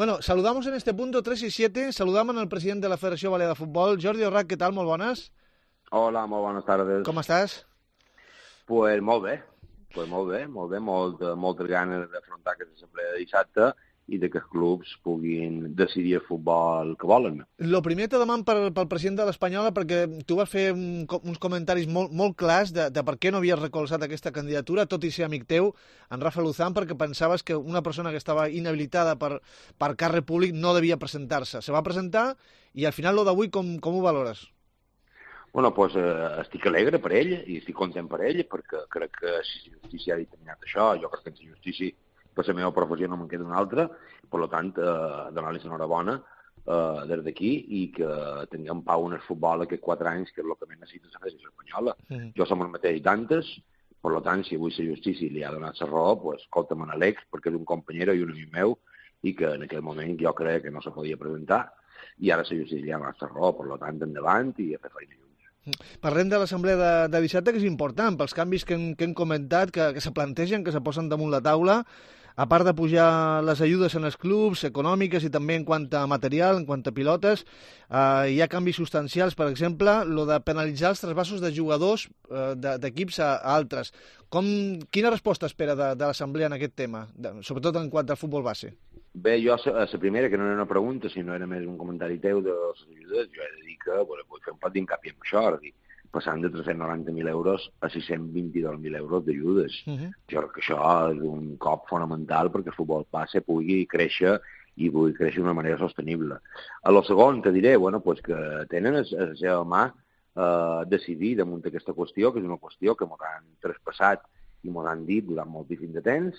Bueno, saludamos en este punto 3 y 7, saludamos al president de la Federació Balear de Futbol, Jordi Orrac, què tal? Molt bones. Hola, molt bones tardes. Com estàs? Pues molt bé, moltes ganes d'afrontar aquesta assemblea de dissabte i de que els clubs puguin decidir el futbol que volen. Lo primer te deman pel president de l'Espanyola, perquè tu vas fer uns comentaris molt clars de per què no havies recolzat aquesta candidatura, tot i ser amic teu, en Rafa Luzán, perquè pensaves que una persona que estava inhabilitada per càrrec públic no devia presentar-se. Se va presentar i al final lo d'avui com ho valores? Bueno, pues estic alegre per ell i estic content per ell, perquè crec que si la justícia ha determinat això, jo crec que en la justícia per la meva professió no me'n queda una altra, per tant, donar-li l'enhorabona des d'aquí i que tinguem pau en el futbol aquests 4 anys, que és el que més necessita la Federació Espanyola. Jo som el mateix d'antes, per tant, si avui la justícia li ha donat la raó, pues, escolta, me n'aleg, perquè és un companyero i un amic meu, i que en aquell moment jo crec que no se podia presentar, i ara la justícia li ha donat la raó, per tant, endavant i a fer feina junts. Parlem de l'assemblea de dissabte, que és important, pels canvis que hem comentat, que se plantegen, que se posen damunt la taula, a part de pujar les ajudes en els clubs, econòmiques i també en quant a material, en quant a pilotes, hi ha canvis substancials, per exemple, lo de penalitzar els trasbassos de jugadors d'equips a altres. Quina resposta espera de l'assemblea en aquest tema, sobretot en quant al futbol base? Bé, jo, la primera, que no era una pregunta, sinó era més un comentari teu de les ajudes, jo he de dir que vull fer un pot d'incapi en això, és dir, passant de 390.000 euros a 622.000 euros d'ajudes. Jo crec que això és un cop fonamental perquè el futbol base pugui créixer i pugui créixer d'una manera sostenible. A lo segon te diré que tenen a la seva mà decidir damunt d'aquesta qüestió, que és una qüestió que ens han traspassat i ens han dit durant moltíssim de temps,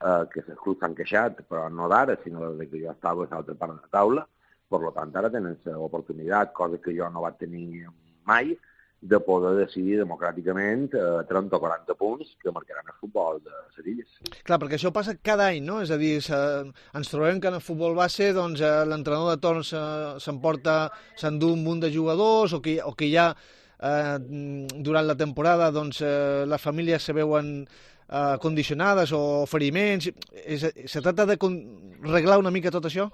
que els clubs s'han queixat, però no d'ara, sinó des que jo estava a l'altra part de la taula. Per tant, ara tenen l'oportunitat, cosa que jo no vaig tenir mai, de poder decidir democràticament 30 o 40 punts que marcaran el futbol de les illes. Clar, perquè això passa cada any, no? És a dir, ens trobem que en el futbol base l'entrenador de torn s'endú un munt de jugadors o que ja durant la temporada les famílies se veuen condicionades o feriments. Se tracta de reglar una mica tot això?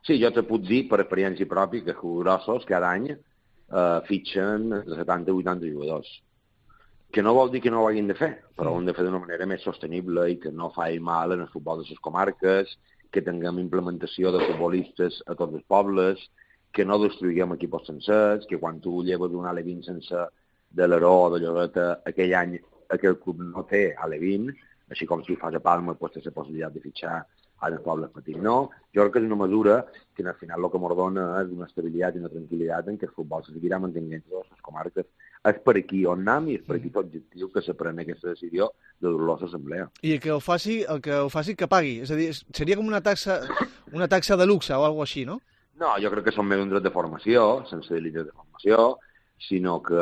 Sí, jo te puc dir per experiència pròpia que els grossos cada any fitxen de 70 o 80 jugadors. Que no vol dir que no ho hagin de fer, però ho hem de fer d'una manera més sostenible i que no faci mal en el futbol de les comarques, que tinguem implementació de futbolistes a tots els pobles, que no destruïm equips sencers, que quan tu lleves un Ale20 sense de l'Aró o de Lloreta, aquell any aquell club no té Ale20, així com si fas a Palma pues, té la possibilitat de fitxar en els pobles petits. No, jo crec que és una mesura que al final el que ens dona és una estabilitat i una tranquil·litat en què el futbol se seguirà mantenint en totes les comarques. És per aquí on anem i és per aquí l'objectiu que se pren aquesta decisió de dur-lo a l'assemblea. I el que ho faci que pagui. És a dir, seria com una taxa de luxe o alguna així, no? No, jo crec que són més un dret de formació, sense delites de formació, sinó que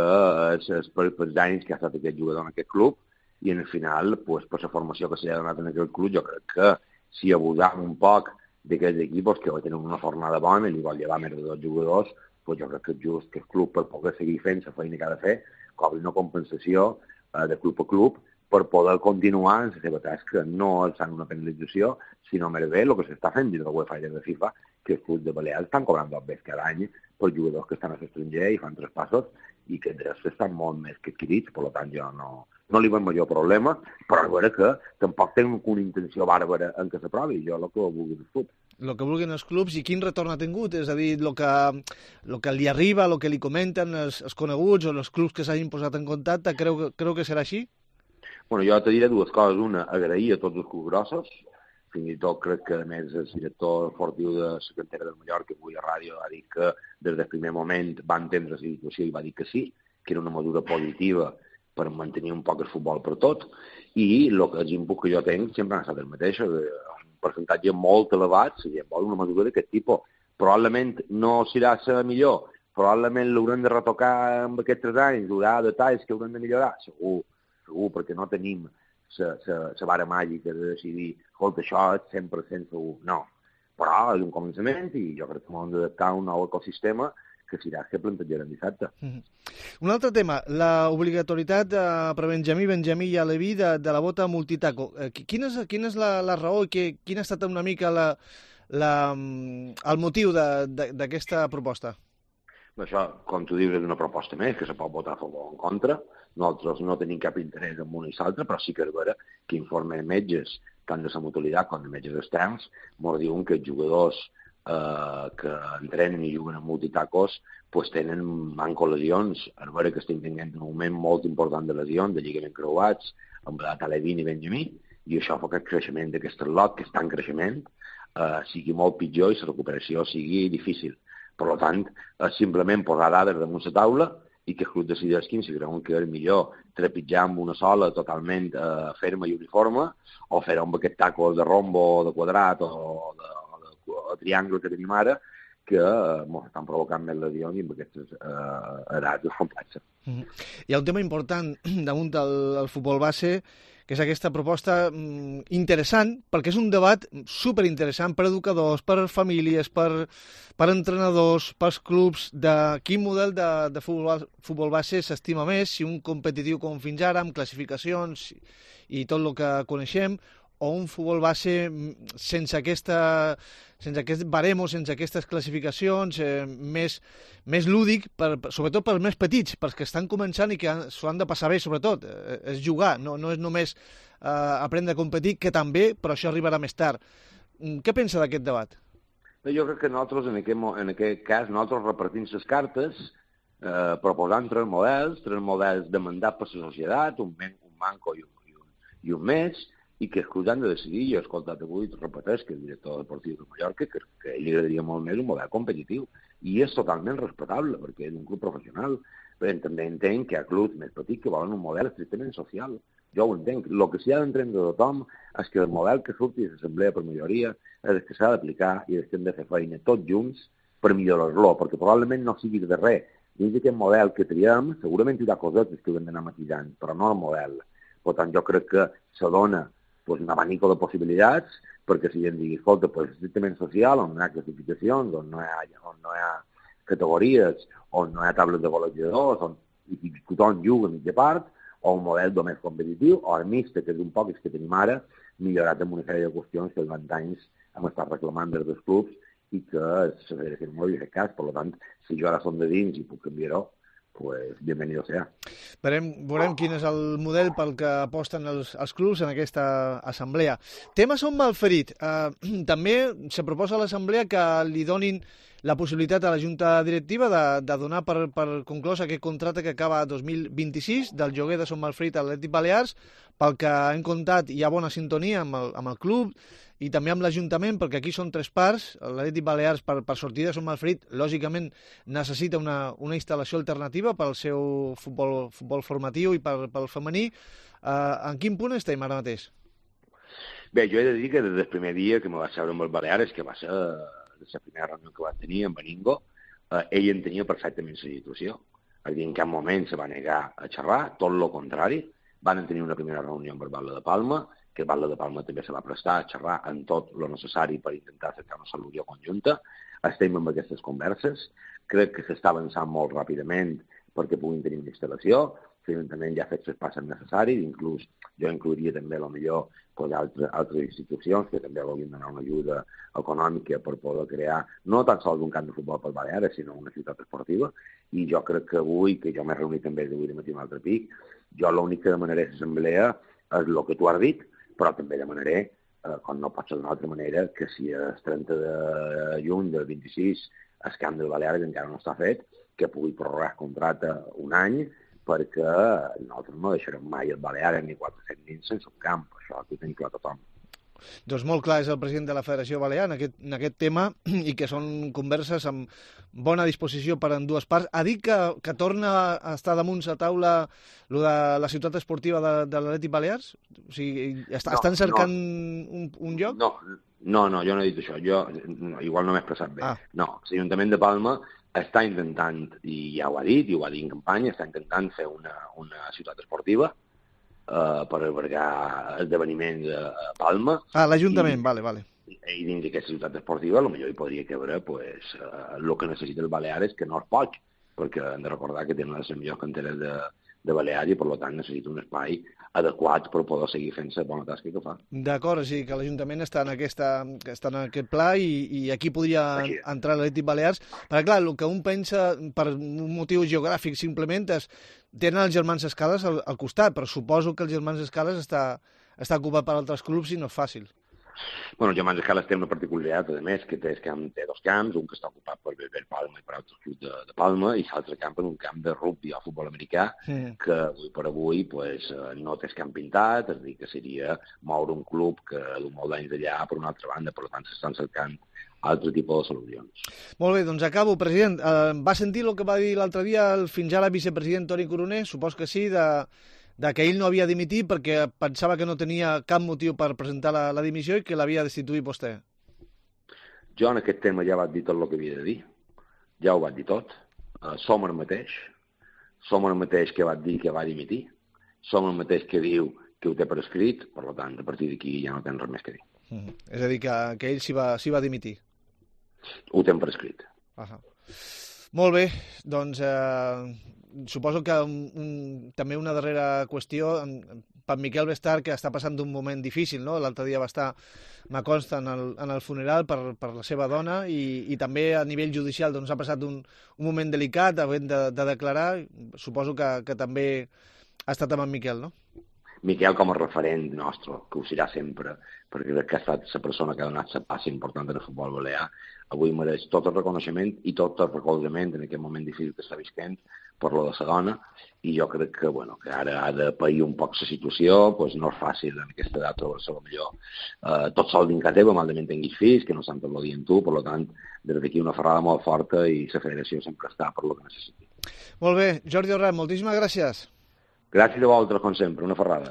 és pels danys que ha estat aquest jugador en aquest club i al final, pues, per la formació que s'ha donat en aquest club, jo crec que si abusam un poc d'aquests equips que tenen una fornada bona i li vol llevar més de 2 jugadors, doncs jo crec que és just que el club, per poder seguir fent la feina que ha de fer, cobri una compensació de club a club per poder continuar en la seva tasca, no alçant una penalització, sinó més bé el que s'està fent dins de la UEFA i de la FIFA, que els clubs de Balears estan cobrant dobbers cada any per jugadors que estan a l'estranger i fan traspassos i que estan molt més que adquirits, per tant jo no li veig major problema, però és vera que tampoc tenen una intenció bàrbara en què s'aprovi, jo el que vulgui del fut. El que vulguin els clubs i quin retorn ha tingut, és a dir, el que li arriba, el que li comenten els coneguts o els clubs que s'hagin posat en contacte, creu que serà així? Bueno, jo te diré 2 coses. Una, agrair a tots els clubs grossos, fins i tot crec que a més el director esportiu de la cantera del Mallorca, avui a ràdio, ha dit que des del primer moment va entendre la situació i va dir que sí, que era una mesura positiva per mantenir un poc el futbol per tot, i els inputs que jo tinc sempre han estat el mateix, un percentatge molt elevat, si vol una mesura d'aquest tipus. Probablement no serà la millor, probablement l'haurem de retocar en aquests 3 anys, hi haurà detalls que haurem de millorar, segur, perquè no tenim la vara màgica de decidir, escolta, això és 100% segur. No, però és un començament i jo crec que hem d'adaptar un nou ecosistema que serà que plantejarem dissabte. Un altre tema, l'obligatorietat per Benjamí i Aleví de la bota multitaco. Quina és la raó i quina ha estat una mica el motiu d'aquesta proposta? Això, com tu dius, és una proposta més, que se pot votar a favor o en contra. Nosaltres no tenim cap interès en una i l'altra, però sí que és vera que informen metges, tant de la mutualitat com de metges externs, ens diuen que els jugadors que entrenen i juguen en multitacos pues tenen lesions. És vera que estem tenint un moment molt important de lesions, de lligament creuats, amb la Talevin i Benjamí, i això fa que el creixement d'aquest lot, que està en creixement, sigui molt pitjor i la recuperació sigui difícil. Per tant, és simplement posar dades damunt la taula i que el club decideix si creuen que és millor trepitjar amb una sola totalment ferma i uniforme o fer-ho amb aquest taco de rombo, de quadrat o de triangle que tenim ara, que estan provocant més lesions i amb aquestes edats és complexa. Hi ha un tema important damunt del futbol base, que és aquesta proposta interessant, perquè és un debat superinteressant per educadors, per famílies, per entrenadors, pels clubs, de quin model de futbol base s'estima més, si un competitiu com fins ara, amb classificacions i tot el que coneixem, o un futbol base sense aquest baremo, sense aquestes classificacions, més lúdic, sobretot pels més petits, pels que estan començant i que s'ho han de passar bé, sobretot. És jugar, no és només aprendre a competir, que també, però això arribarà més tard. Què pensa d'aquest debat? Jo crec que nosaltres, en aquest cas, nosaltres repartim les cartes, proposant tres models demandats per la societat, un manco i un més, i que els clubs han de decidir. Jo he escoltat avui, repeteix, que el director deportiu de Mallorca, que a ell li agradaria molt més un model competitiu, i és totalment respectable, perquè és un club professional, però també entenc que hi ha clubs més petits que volen un model estrictament social. Jo ho entenc. El que s'hi ha d'entendre de tothom és que el model que surti de l'assemblea per majoria és el que s'ha d'aplicar i és que hem de fer feina tots junts per millorar-lo, perquè probablement no sigui de res. Dins d'aquest model que triem, segurament hi haurà cosetes que hem d'anar matisant, però no el model. Per tant, jo crec que se dona un abanico de possibilitats, perquè si em digui, escolta, estrictament social, on no hi ha classificacions, on no hi ha categories, on no hi ha tables de golejadors, on tothom juga a mitja part, o un model més competitiu, o el mixte, que és un poc el que tenim ara, millorat amb una sèrie de qüestions que durant anys hem estat reclamant des dels clubs i que la federació no havia fet cas. Per tant, si jo ara som de dins i puc canviar-ho, pues bienvenido sea. Veurem quin és el model pel que aposten els clubs en aquesta assemblea. Tema Son Malferit. També se proposa a l'assemblea que li donin la possibilitat a la Junta Directiva de donar per conclòs aquest contracte que acaba 2026 del lloguer de Son Malferit a l'Atlètic Balears. Pel que hem comptat, hi ha bona sintonia amb el club i també amb l'Ajuntament, perquè aquí són tres parts. L'Atlètic Balears, per sortir de Son Malferit, lògicament necessita una instal·lació alternativa pel seu futbol formatiu i pel femení. En quin punt estem ara mateix? Bé, jo he de dir que des del primer dia que me vaig seure amb els Balears, que va ser la primera reunió que va tenir amb Beningo, ell entenia perfectament la situació. És a dir, en cap moment se va negar a xerrar, tot el contrari. Van tenir una primera reunió amb el Batlle de Palma, que el Batlle de Palma també se va prestar a xerrar en tot el necessari per intentar cercar una solució conjunta. Estem amb aquestes converses. Crec que s'està avançant molt ràpidament perquè puguin tenir una instal·lació. L'Ajuntament ja ha fet els passos necessaris, inclús jo inclouria també potser altres institucions que també vulguin donar una ajuda econòmica per poder crear no tan sols un camp de futbol per Balears, sinó una ciutat esportiva. I jo crec que avui, que jo m'he reunit també d'avui de matí un altre pic, jo l'únic que demanaré a l'assemblea és el que tu has dit, però també demanaré, com no pot ser d'una altra manera, que si el 30 de juny del 26 el camp de Balears encara no està fet, que pugui prorrogar el contracte un any, perquè nosaltres no deixarem mai el Balears ni 400 nins sense un camp. Això ho tenim clar tothom. Doncs molt clar és el president de la Federació Balear en aquest tema i que són converses amb bona disposició per en dues parts. Ha dit que torna a estar damunt la taula lo de la ciutat esportiva de l'Atlètic Balears? O sigui, estan cercant un lloc? No, jo no he dit això. Igual no m'he expressat bé. No, l'Ajuntament de Palma està intentant, i ja ho ha dit, i ho va dir en campanya, està intentant fer una ciutat esportiva per albergar esdeveniments a Palma. L'Ajuntament, vale. I dins d'aquesta ciutat esportiva potser hi podria cabre el que necessita el Balears, que no es pot, perquè hem de recordar que tenen les millors canteres de de Balears i, per tant, necessita un espai adequat per poder seguir fent la bona tasca que fa. D'acord, o sigui que l'Ajuntament està en aquest pla i aquí podria entrar l'Atlètic Balears. Perquè, clar, el que un pensa per un motiu geogràfic simplement és tenen els germans Escales al costat, però suposo que els germans Escales està ocupat per altres clubs i no és fàcil. Bueno, el Germans Escales té una particularitat, a més, que té dos camps, un que està ocupat per Bellver Palma i per altres clubs de Palma, i l'altre camp és un camp de rugby o futbol americà, que avui per avui pues, no té camp pintat, és a dir, que seria moure un club que du molt d'anys d'allà per una altra banda, per tant s'estan cercant altre tipus de solucions. Molt bé, doncs acabo, president. Va sentir el que va dir l'altre dia el fins ara vicepresident Toni Coroner, supos que sí, de que ell no havia dimitit perquè pensava que no tenia cap motiu per presentar la dimissió i que l'havia destituït vostè. Jo en aquest tema ja vaig dir tot el que havia de dir. Ja ho vaig dir tot. Som el mateix. Som el mateix que vaig dir que va dimitir. Som el mateix que diu que ho té per escrit, per tant, a partir d'aquí ja no tens res més que dir. És a dir, que ell s'hi va dimitir. Ho tenen per escrit. Molt bé, doncs suposo que també una darrera qüestió, per Miquel Bestart, que està passant un moment difícil, no? L'altre dia va estar, me consta, en el funeral per la seva dona i també a nivell judicial doncs, ha passat un moment delicat, havent de declarar. Suposo que també ha estat amb en Miquel, no? Miquel com a referent nostre, que ho serà sempre, perquè crec que ha estat la persona que ha donat la passa important en el futbol balear. Avui mereix tot el reconeixement i tot el recolzament en aquest moment difícil que està visquent per lo de la dona, i jo crec que, que ara ha de pair un poc la situació, doncs no és fàcil en aquesta edat trobar-se millor tot sol dins casa teva, malament tinguis fills, que no s'han tot el dia amb tu, per tant, des d'aquí una ferrada molt forta i la federació sempre està per lo que necessiti. Molt bé, Jordi Orrat, moltíssimes gràcies. Gràcies a vosaltres, com sempre, una ferrada.